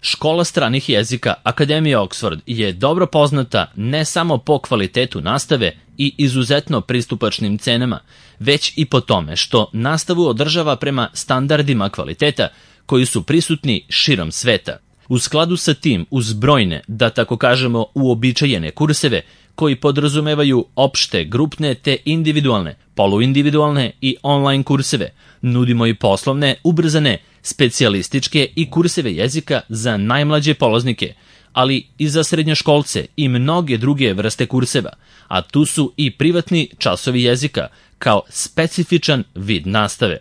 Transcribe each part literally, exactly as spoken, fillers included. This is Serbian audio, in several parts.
Škola stranih jezika Akademije Oxford je dobro poznata ne samo po kvalitetu nastave i izuzetno pristupačnim cenama, već i po tome što nastavu održava prema standardima kvaliteta koji su prisutni širom sveta. U skladu sa tim, uz brojne, da tako kažemo, uobičajene kurseve koji podrazumevaju opšte, grupne te individualne, poluindividualne i online kurseve, nudimo i poslovne, ubrzane, specijalističke i kurseve jezika za najmlađe polaznike, ali i za srednjoškolce i mnoge druge vrste kurseva, a tu su i privatni časovi jezika kao specifičan vid nastave.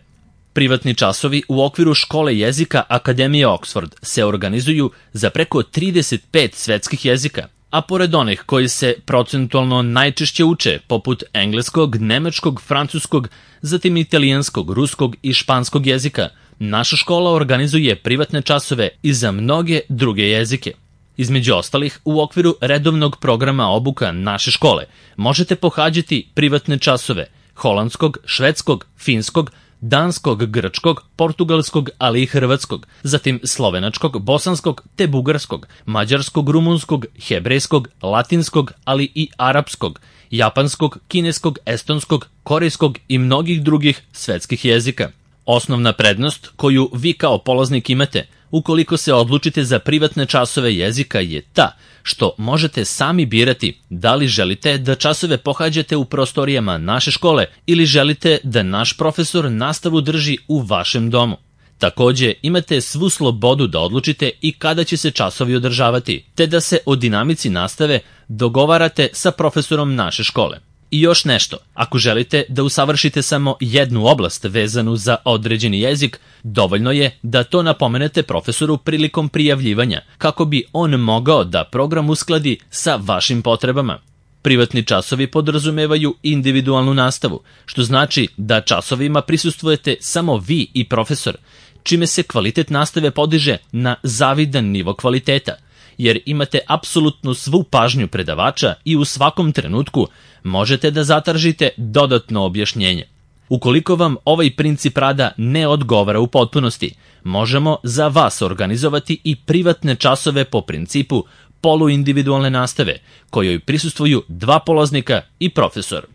Privatni časovi u okviru škole jezika Akademije Oxford se organizuju za preko trideset pet svetskih jezika, a pored onih koji se procentualno najčešće uče, poput engleskog, nemačkog, francuskog, zatim italijanskog, ruskog i španskog jezika, naša škola organizuje privatne časove i za mnoge druge jezike. Između ostalih, u okviru redovnog programa obuka naše škole možete pohađati privatne časove holandskog, švedskog, finskog, danskog, grčkog, portugalskog, ali i hrvatskog, zatim slovenačkog, bosanskog te bugarskog, mađarskog, rumunskog, hebrejskog, latinskog, ali i arapskog, japanskog, kineskog, estonskog, korejskog i mnogih drugih svetskih jezika. Osnovna prednost koju vi kao polaznik imate ukoliko se odlučite za privatne časove jezika je ta što možete sami birati da li želite da časove pohađate u prostorijama naše škole ili želite da naš profesor nastavu drži u vašem domu. Takođe, imate svu slobodu da odlučite i kada će se časovi održavati, te da se o dinamici nastave dogovarate sa profesorom naše škole. I još nešto, ako želite da usavršite samo jednu oblast vezanu za određeni jezik, dovoljno je da to napomenete profesoru prilikom prijavljivanja, kako bi on mogao da program uskladi sa vašim potrebama. Privatni časovi podrazumevaju individualnu nastavu, što znači da časovima prisustvujete samo vi i profesor, čime se kvalitet nastave podiže na zavidan nivo kvaliteta, jer imate apsolutno svu pažnju predavača i u svakom trenutku možete da zatražite dodatno objašnjenje. Ukoliko vam ovaj princip rada ne odgovara u potpunosti, možemo za vas organizovati i privatne časove po principu poluindividualne nastave, kojoj prisustvuju dva polaznika i profesor.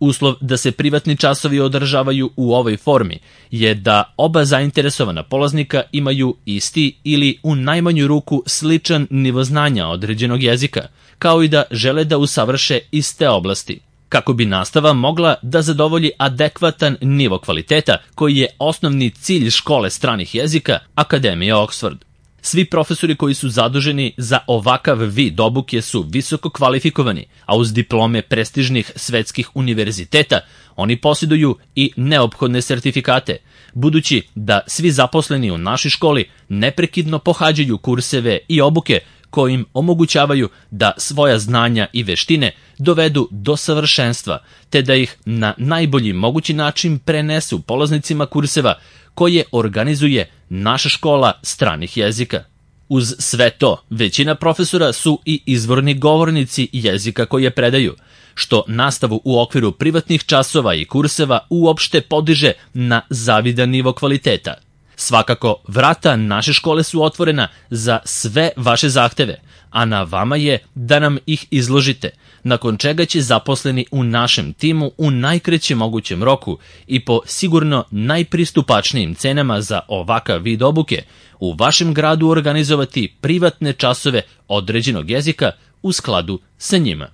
Uslov da se privatni časovi održavaju u ovoj formi je da oba zainteresovana polaznika imaju isti ili u najmanju ruku sličan nivo znanja određenog jezika, kao i da žele da usavrše iste oblasti, kako bi nastava mogla da zadovolji adekvatan nivo kvaliteta koji je osnovni cilj škole stranih jezika Akademije Oxford. Svi profesori koji su zaduženi za ovakav vid obuke su visoko kvalifikovani, a uz diplome prestižnih svetskih univerziteta oni posjeduju i neophodne sertifikate, budući da svi zaposleni u našoj školi neprekidno pohađaju kurseve i obuke koji im omogućavaju da svoja znanja i veštine dovedu do savršenstva, te da ih na najbolji mogući način prenesu polaznicima kurseva koje organizuje naša škola stranih jezika. Uz sve to, većina profesora su i izvorni govornici jezika koje predaju, što nastavu u okviru privatnih časova i kurseva uopšte podiže na zavidan nivo kvaliteta. Svakako, vrata naše škole su otvorena za sve vaše zahteve, a na vama je da nam ih izložite, nakon čega će zaposleni u našem timu u najkraćem mogućem roku i po sigurno najpristupačnijim cenama za ovakav vid obuke u vašem gradu organizovati privatne časove određenog jezika u skladu sa njima.